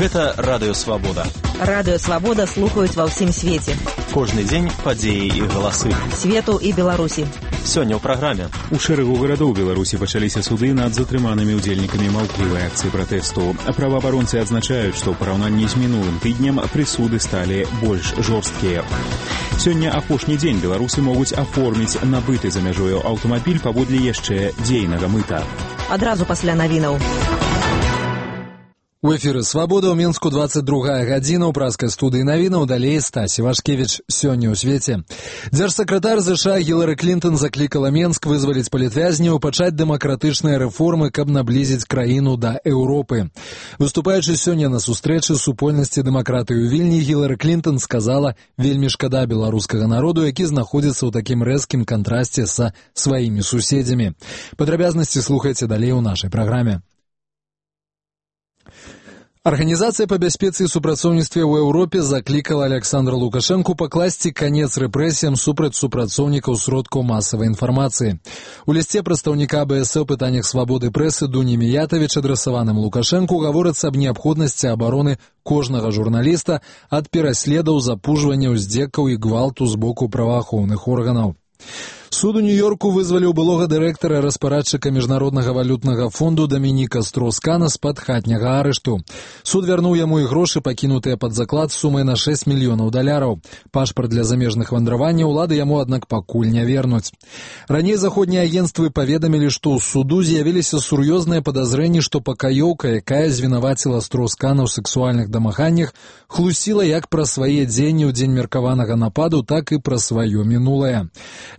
Гэта Радыё Свабода. Радыё Свабода слухаюць ва ўсім свеце. Кожны дзень падзеі і галасы. Свету і Беларусі. Сёння ў праграме. У шэрагу гарадоў Беларусі пачаліся суды над затрыманымі ўдзельнікамі маўклівай акцыі пратэсту. Праваабаронцы адзначаюць, што ў параўнанні з мінулым тыднем прысуды сталі больш жорсткія. Сёння апошні дзень беларусы могуць аформіць набыты за мяжою аўтамабіль паводле яшчэ дзейнага мыта. Адразу пасля навінаў. У эфіры «Свабода» ў Мінску 22 гадзіна ў праскай студыі навінаў, далей Стасі Вашкевіч. Сёння ў свеце. Дзяржсакратар США Гілары Клінтон заклікала Менск вызваліць палітвязняў, пачаць дэмакратычныя рэформы, каб наблізіць краіну да Еўропы. Выступаючы сёння на сустрэчы супольнасці дэмакратыі ў Вільні, Гілары Клінтон сказала: «Вельмі шкада беларускага народу, які знаходзіцца ў такім рэзкім кантрасце са сваімі суседзямі». Падрабязнасці слухайце далей у нашай праграме. Арганізацыя па бяспецы і супрацоўніцтве ў Еўропе заклікала Александра Лукашэнку пакласці канец рэпрэсіям супраць супрацоўнікаў сродкаў масавай інфармацыі. У лісце прадстаўніка АБС у пытаннях свабоды прэсы Дуні Міятавіч, адрасаваным Лукашэнку, гаворыцца аб неабходнасці абароны кожнага журналіста ад пераследаў, запужвання, уздзекаў і гвалту з боку праваахоўных органаў. Суд у Нью-Йорку вызваліў былога дырэктара распарадчыка Міжнароднага валютнага фонду Дамініка Строскана з-пад хатняга арышту. Суд вярнуў яму і грошы, пакінутыя пад заклад сумай на $6 мільёнаў. Пашпарт для замежных вандраванняў улады яму, аднак, пакуль не вернуць. Раней заходнія агенцтвы паведамілі, што ў суду з'явіліся сур'ёзныя падазрэнні, што пакаёўка, якая звінаваціла Строскана ў сэксуальных дамаганнях, хлусіла як пра свае дзеянні ў дзень меркаванага нападу, так і пра сваё мінулае.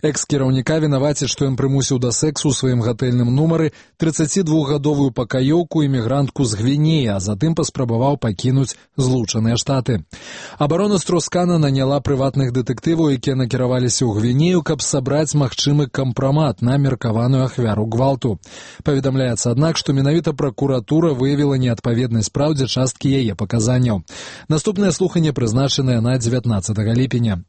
Экс-кіраўніка вінаваціць, што ён прымусіў да сэксу ў сваім гатэльным нумары 32-гадовую пакаёўку імігрантку з Гвінеі, а затым паспрабаваў пакінуць Злучаныя Штаты. Абарона Строскана наняла прыватных дэтэктываў, якія накіраваліся ў Гвінею, каб сабраць магчымы кампрамат на меркаваную ахвяру гвалту. Паведамляецца, аднак, што менавіта пракуратура выявіла неадпаведнасць праўдзе часткі яе паказанняў. Наступнае слуханне прызначанае на 19 ліпеня.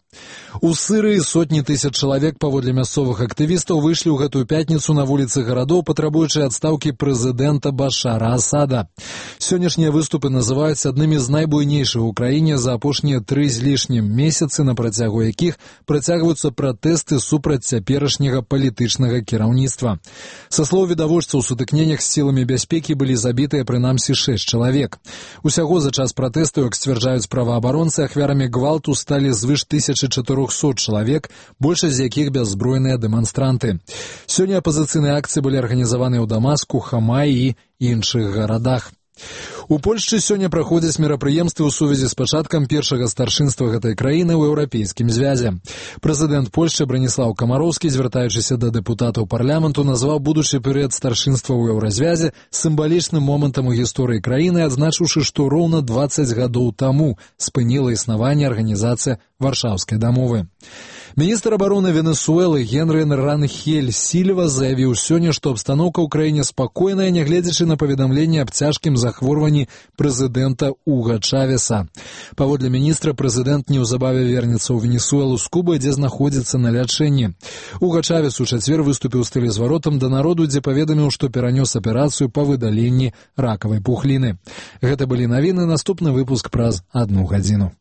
У Сырыі сотні тысяч чалавек, паводле мясцовых актывістаў, выйшлі ў гэтую пятніцу на вуліцы гарадоў, патрабуючы адстаўкі прэзідэнта Башара Асада. Сённяшнія выступы называюць аднымі з найбуйнейшых у краіне за апошнія 3 з лішнім месяцы, на працягу якіх працягваюцца пратэсты супраць цяперашняга палітычнага кіраўніцтва. Са слоў відавочцаў, у сутыкненнях з сіламі бяспекі былі забітыя прынамсі 6 чалавек. Усяго за час пратэсту, як сцвярджаюць праваабаронцы, ахвярамі гвалту сталі звыш 1400 чалавек, большасць з якіх бяззбройныя дэманстранты. Сёння апазіцыйныя акцыі былі арганізаваныя ў Дамаску, Хамаі і іншых гарадах. У Польшчы сёння праходзяць мерапрыемствы ў сувязі з пачаткам першага старшынства гэтай краіны ў еўрапейскім звязе. Прэзідэнт Польшчы Браніслаў Камароўскі, звяртаючыся да дэпутатаў парламенту, назваў будучы перыяд старшынства ў еўразвязе сімвалічным момантам у гісторыі краіны, адзначыўшы, што роўна 20 гадоў таму спыніла існаванне арганізацыя Варшаўскай дамовы. Міністр абароны Венесуэлы Генры Ранхель Сільва заявіў сёння, што абстаноўка ў краіне спакойная, нягледзячы на паведамленне аб цяжкім захворванні прэзідэнта Уга Чавеса. Паводле міністра, прэзідэнт неўзабаве вернецца ў Венесуэлу з Кубы, дзе знаходзіцца на лячэнні. Уга Чавес у чацвер выступіў з тэлезваротам да народу, дзе паведаміў, што перанёс аперацыю па выдаленні ракавай пухліны. Гэта былі навіны, наступны выпуск праз 1 гадзіну.